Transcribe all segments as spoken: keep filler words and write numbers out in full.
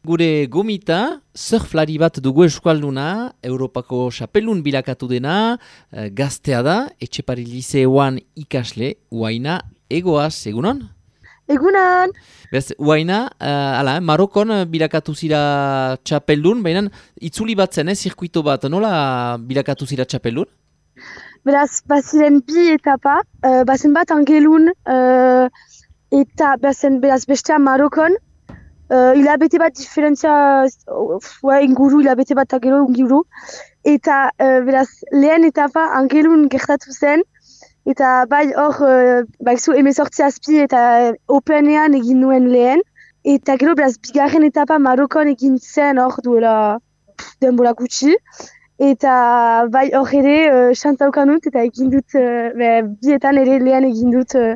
Gure gomita, surflari bat dugu eskualduna, Europako xapelun bilakatu dena, eh, gaztea da, Etxepare lizeoan ikasle, Uaina Egoaz, egunon? Egunon! Bez, Uaina, uh, ala, Marokon bilakatu zira txapeldun, baina itzuli bat zen, eh, zirkuito bat, nola bilakatu zira txapeldun? Beraz, baziren bi etapa, uh, bazen bat angelun, uh, eta bazen beraz bestea Marokon, uh, hilabete bat diferentzia, uh, inguru, hilabete bat angelo inguru, eta uh, beraz lehen etapa angelun gertatu zen, eta bai hor, uh, baizu emezortzi azpi eta openean egin nuen lehen. Eta gero beraz bigarren etapa Marokon egin zen hor duela pff, denbora gutxi. Eta bai hor ere uh, xantaukan dut eta egin dut, uh, be, bietan ere lehen egin dut. Uh,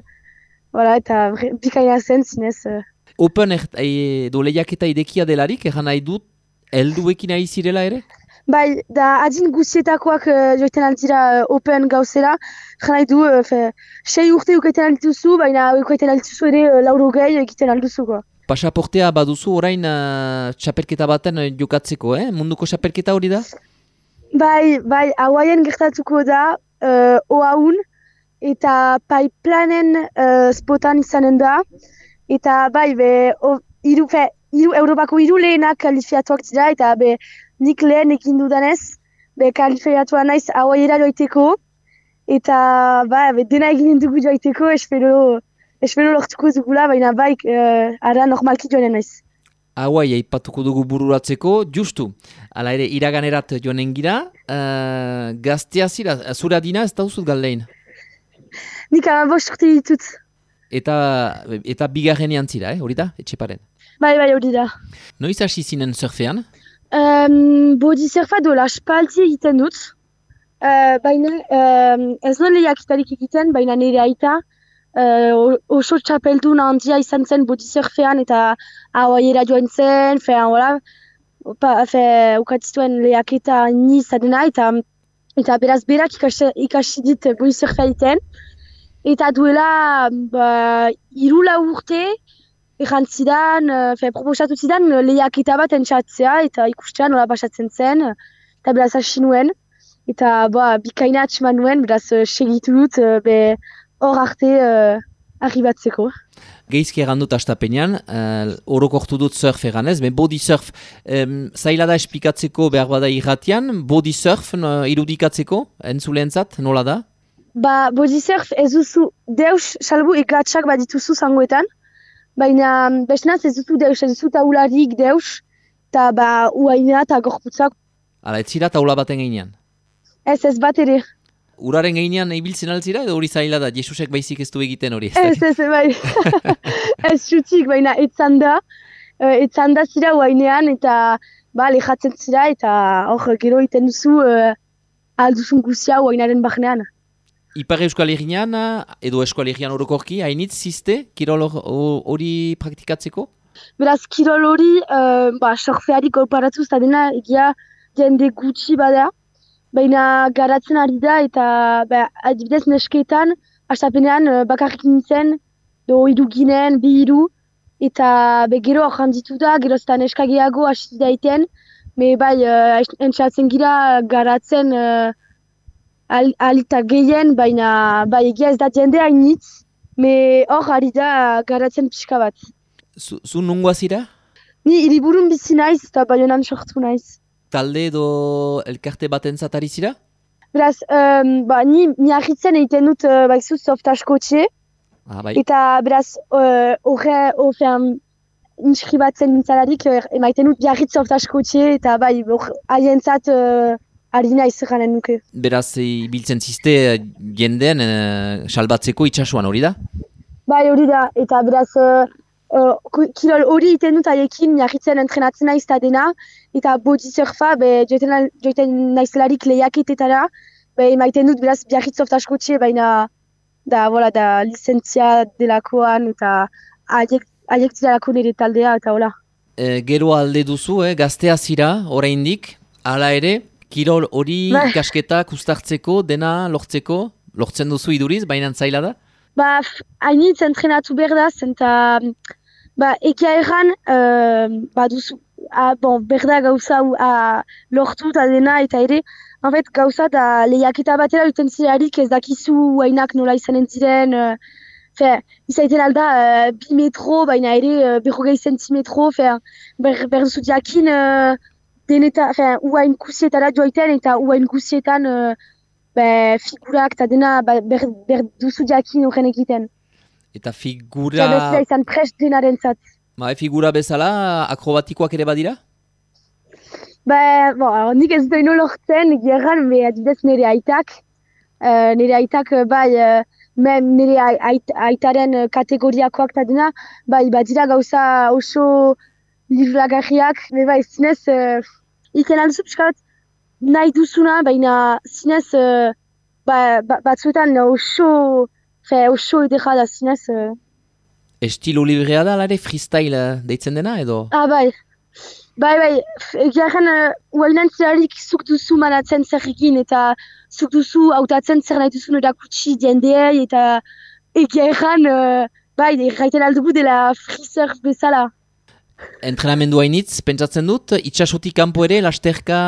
voilà, eta bikaina zen zinez. Uh. Open e, do lehiaketa idekia delarik, egan nahi dut, helduekin nahi zirela ere? Bai, da adin guzietakoak uh, joiten altira uh, open gauzera, jana du, uh, fe, sei urte ukaiten altuzu, baina ukaiten altuzu ere uh, lauro gehi egiten altuzuko. Pasaportea baduzu orain uh, txapelketa baten uh, jokatzeko, eh? Munduko txapelketa hori da? Bai, bai, hauaien gertatuko da, uh, oaun, eta paiplanen uh, spotan izanen da, eta bai, be, o, iru, fe, iru, Europako hiru lehenak kalifiatuak dira, eta be, nik lehen ekin dudanez, be kalifiatua naiz hauaiera joiteko, eta ba, be, dena eginen dugu joiteko, espero, espero lortuko dugula, baina baik, uh, ara normalki joanen naiz. Hauai aipatuko dugu bururatzeko, justu, ala ere iraganerat joanen gira, uh, gaztea zira, zura dina ez dauzut galdein? Nik amabost urte ditut. Eta, eta bigarrenean zira, eh? Hori da, Etxeparen? Bai, bai, hori da. Noiz hasi zinen surfean? Um, body surfa dola spalti egiten dut, uh, baina um, ez non lehiaketarik egiten, baina nire aita uh, oso txapeldun handia izan zen body surfean eta hauaiera joan zen, fean, hola, fe, ukatzituen lehiaketa ni zadena eta, eta beraz berak ikasi, ikasi dit body surfea egiten, eta duela ba, hiru lau urte, Egan zidan, fe, proposatu zidan lehiaketa bat entxatzea eta ikustean nola pasatzen zen, eta beraz hasi nuen, eta ba, bikaina atxeman nuen, beraz segitu dut be hor arte uh, arribatzeko. Geizki egan dut astapenean, uh, orokortu dut surf egan ez, ben body surf, um, zaila da esplikatzeko behar bada irratian, body surf no, irudikatzeko, entzulentzat, nola da? Ba, body surf ez duzu deus salbu ikatsak bat dituzu zangoetan, baina bestenaz ez duzu deus, ez duzu taularik deus, eta ba uaina eta gorputzak. Hala, ez zira taula baten gainean? Ez, ez bat ere. Uraren gainean ibiltzen altzira edo hori zaila da, Jesusek baizik ez du egiten hori? Ez, ez, ez, bai. Ez xutik, baina etzan da, etzan da zira uainean eta ba, lehatzen zira eta hor gero iten duzu uh, alduzun guzia uainaren bahnean. Ipar Euskal Herrian edo Euskal Herrian orokorki, hainitz ziste, kirol hori praktikatzeko? Beraz, kirol hori, uh, ba, surfeari kolparatuz eta dena egia jende gutxi bada, baina garatzen ari da eta ba, adibidez nesketan, astapenean uh, bakarrik nintzen, do hiru ginen, bi hiru, eta be, gero handitu da, gero zeta neskageago hasi daiten, me bai, uh, entxatzen gira garatzen, uh, Al, alita gehien, baina bai egia ez da jende hainitz, me hor ari da garatzen pixka bat. Zu, zu nungoa zira? Ni hiriburun bizi naiz eta Baionan sortu naiz. Talde edo elkarte bat entzatari zira? Beraz, um, ba, ni miarritzen egiten dut uh, baizu softaskotxe. Ah, bai. Eta beraz, horre, uh, horrean inskribatzen nintzalarik, uh, emaiten dut biarritz softaskotxe eta bai, haientzat uh, Arina izaganen nuke. Beraz, ibiltzen ziste jendeen uh, salbatzeko itxasuan hori da? Bai, hori da. Eta beraz, uh, uh, kirol hori iten dut haiekin miarritzen entrenatzen naiz eta dena. Eta body surfa, be, joiten, joiten naizelarik lehiaketetara. Be, emaiten dut beraz biarritz softaskotxe, baina da, voilà, da lizentzia delakoan eta haiek, haiek ziralako nire taldea eta hola. E, gero alde duzu, eh, gaztea zira, oraindik, hala ere, kirol hori ikasketak ustartzeko, dena lortzeko, lortzen duzu iduriz, baina zaila da? Ba, hainitz entrenatu behar da, zenta, ba, ekia erran, uh, ba, duzu, a, bon, berda gauza a, lortu eta dena, eta ere, en fait, gauza da lehiaketa batera duten zirarik ez dakizu hainak nola izanen ziren, uh, fe, izaiten alda uh, bi metro, baina ere uh, berrogei zentimetro, fe, ber, berduzu diakin uh, deneta, fe, uain kusietara joaiten eta uain kusietan uh, be, figurak eta dena ba, ber, berduzu diakin horren egiten. Eta figura... Eta bezala izan prest denaren zat. Ba, figura bezala akrobatikoak ere badira? Ba, bon, nik ez dut ino lortzen, gerran, me adibidez nire aitak. Uh, nire aitak, bai, uh, nire ait, aitaren kategoriakoak eta dena, bai, badira gauza oso libragarriak, me bai, zinez, uh, iken alduzu piskat, nahi duzuna, baina zinez, uh, ba, ba, batzuetan oso, fe, oso edera da zinez. Uh, Estilo librea da, lare, freestyle deitzen dena, edo? Ah, bai. Bai, bai, egiaren, uh, uainan zerarik zuk duzu manatzen zer egin, eta zuk duzu hautatzen zer nahi duzun erakutsi jendeei, eta egiaren, uh, bai, erraiten aldugu dela freesurf bezala. Entrenamendu hainitz, pentsatzen dut, itxasotik kanpo ere, lasterka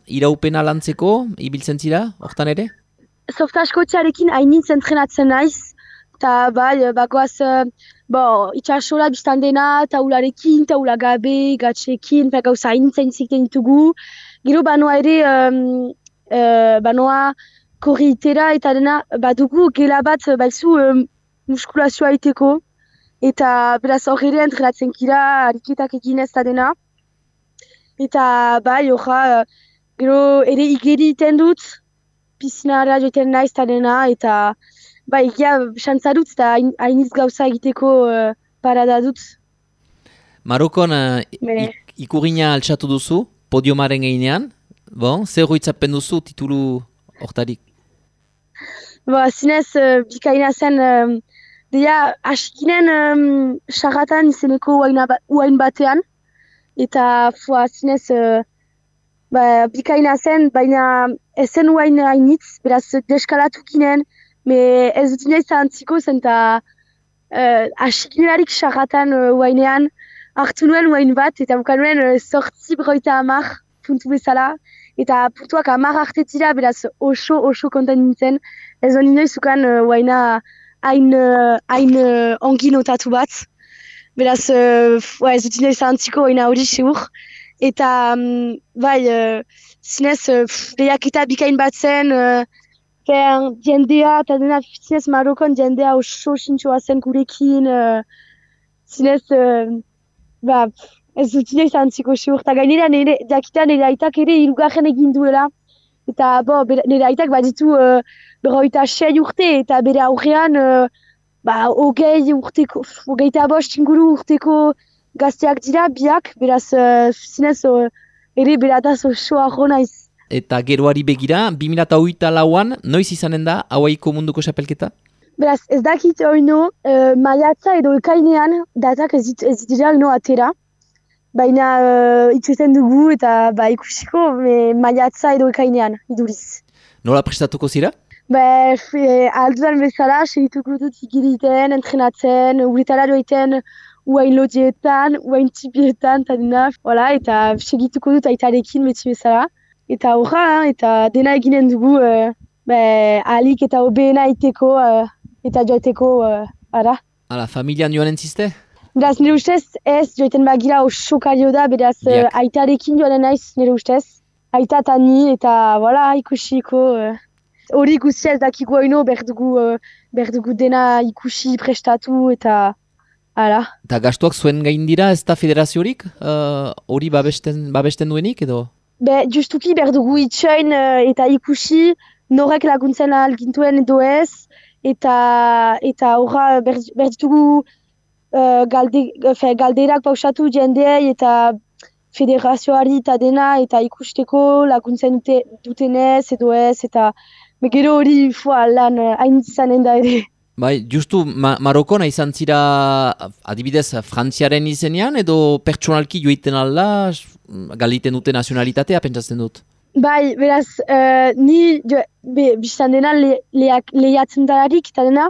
iraupena lantzeko, ibiltzen zira, hortan ere? Softaskotxarekin hainitz entrenatzen naiz, eta bai, bagoaz, uh, bo, itxasola biztan dena, taularekin, taula gabe, gatxekin, gauza hainitz hainitzik ditugu. Gero banoa ere, um, uh, banoa korritera eta dena, badugu gela bat, baizu um, muskulazioa iteko, eta beraz hor ere entrenatzen kira, ariketak egin ez da dena. Eta bai, horra, uh, gero ere igeri iten dut, piscinara joiten naiz eta dena, eta ba, egia xantza dut eta hainiz gauza egiteko uh, parada dut. Marokon uh, ik, ikurina altxatu duzu, podiumaren geinean. Bon, zer hoitzapen duzu titulu hortarik? Ba, zinez, uh, bikaina zen, um, deia, askinen um, sarratan izeneko uain batean. Eta, fua, zinez, uh, ba, bikaina zen, baina ezen uain hainitz, beraz, deskalatu ginen. Me ez dut inoiz antziko zen eta uh, asikinerarik sarratan uh, uainean hartu nuen uain bat eta bukan nuen uh, sortzi broita amar puntu bezala eta puntuak amar hartetira beraz oso oso konten nintzen. Ez dut inoiz ukan uh, uaina hain uh, uh, ongi notatu bat. Beraz uh, ez dut inoiz antziko uaina hori seur. Eta um, bai, uh, zinez uh, lehiaketa bikain bat zen, uh, Fer, jendea, eta dena zinez Marokon jendea oso sintxoa zen gurekin, uh, zinez, uh, ba, ez dut inoiz antziko seur. Eta gainera nire, jakita nire aitak ere hirugarren egin duela. Eta bo, nire aitak baditu uh, berroita sei urte, eta bere aurrean, uh, ba, hogei urteko, hogeita bost inguru urteko gazteak dira, biak, beraz, uh, zinez, uh, ere berataz oso arro naiz. Eta geroari begira, bi mila hogeita lauan, noiz izanen da Hawaiiko munduko xapelketa? Beraz, ez dakit oino, uh, maiatza edo ekainean, datak ez, dit, ez dira ino atera. Baina uh, itxuten dugu eta ba, ikusiko me, maiatza edo ekainean, iduriz. Nola prestatuko zira? Ba, e, aldudan bezala, segituko dut igiriten, entrenatzen, uretara joiten, uain lodietan, uain txipietan, eta dena, voilà, eta segituko dut aitarekin beti bezala. Eta horra, eta dena eginen dugu uh, be, alik eta hobeena iteko uh, eta joiteko uh, ara. Hala, familian joan entziste? Beraz, nire ustez ez, joiten bagira oso kario da, beraz uh, aitarekin joan naiz nire ustez. Aita eta ni eta voilà, ikusiko. Hori uh, ikusi ez dakiko haino, berdugu, uh, berdugu dena ikusi prestatu eta ara. Eta gastuak zuen gain dira ez da federaziorik? Hori uh, babesten, babesten duenik edo? Be, justuki berdugu itxoin uh, eta ikusi norek laguntzen algintuen edo ez, eta eta horra berditugu uh, galde, fe, galderak pausatu jendeei eta federazioari eta dena, eta ikusteko laguntzen dute, dutenez edo ez, eta gero hori lan hain uh, izanen da ere. Bai, justu ma Marokona izan zira adibidez Frantziaren izenean edo pertsonalki joiten alda galiten dute nazionalitatea pentsatzen dut? Bai, beraz, uh, ni biztan dena le, leak, lehiatzen dalarik eta dena,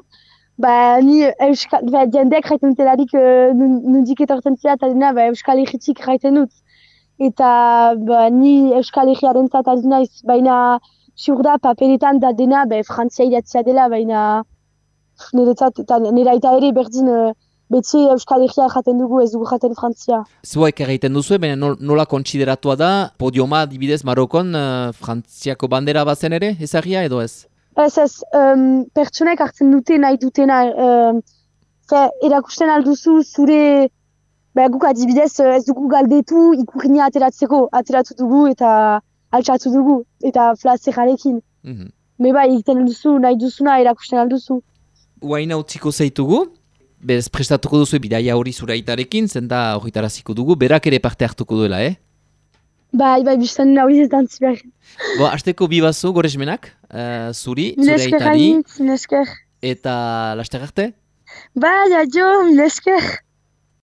ba, ni euskal, ba, jendeak jaiten dutelarik uh, nundik etortzen zira eta dena ba, euskal egitik jaiten dut. eta ba, ni Euskal Herriaren zat ari naiz, baina ziur da paperetan da dena, be, Frantzia idatzia dela, baina niretzat, eta nire aita ere berdin uh, betxe Euskal Herria jaten dugu, ez dugu jaten Frantzia. Zuek egiten duzu, baina nol, nola kontsideratua da, podioma adibidez Marokon uh, Frantziako bandera bazen ere, ezagia edo ez? Ez ez, um, pertsonek hartzen dute nahi dutena, um, fe, erakusten alduzu zure, be, guk adibidez ez dugu galdetu ikurriña ateratzeko, ateratu dugu eta altxatu dugu, eta flazerarekin. Mm-hmm. Meba egiten alduzu, nahi duzuna erakusten alduzu. Uaina utziko zaitugu, bez prestatuko duzu bidaia hori zure aitarekin, zenta horretaraziko dugu, berak ere parte hartuko duela, eh? Bai, bai, biztan hori ez dantzi behar. Bo, hasteko bi bazu, goresmenak, uh, zuri, zure Milesker aitari, hainitz, milesker. eta laster arte? Bai, adio, milesker.